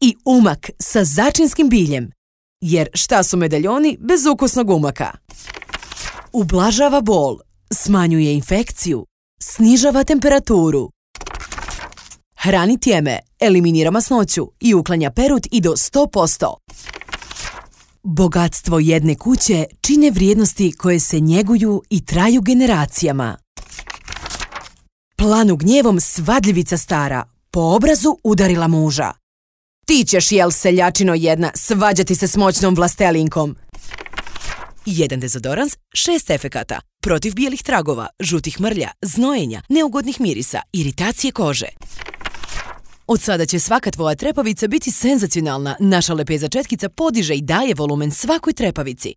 i umak sa začinskim biljem. Jer šta su medaljoni bez ukusnog umaka? Ublažava bol, smanjuje infekciju, snižava temperaturu. Hrani tjeme, eliminira masnoću i uklanja perut i do 100%. Bogatstvo jedne kuće čine vrijednosti koje se njeguju i traju generacijama. Planu gnjevom svadljivica stara, po obrazu udarila muža. Ti ćeš, jel seljačino jedna, svađati se s moćnom vlastelinkom. 1 dezodorans, 6 efekata. Protiv bijelih tragova, žutih mrlja, znojenja, neugodnih mirisa, iritacije kože. Od sada će svaka tvoja trepavica biti senzacionalna. Naša lepeza četkica podiže i daje volumen svakoj trepavici.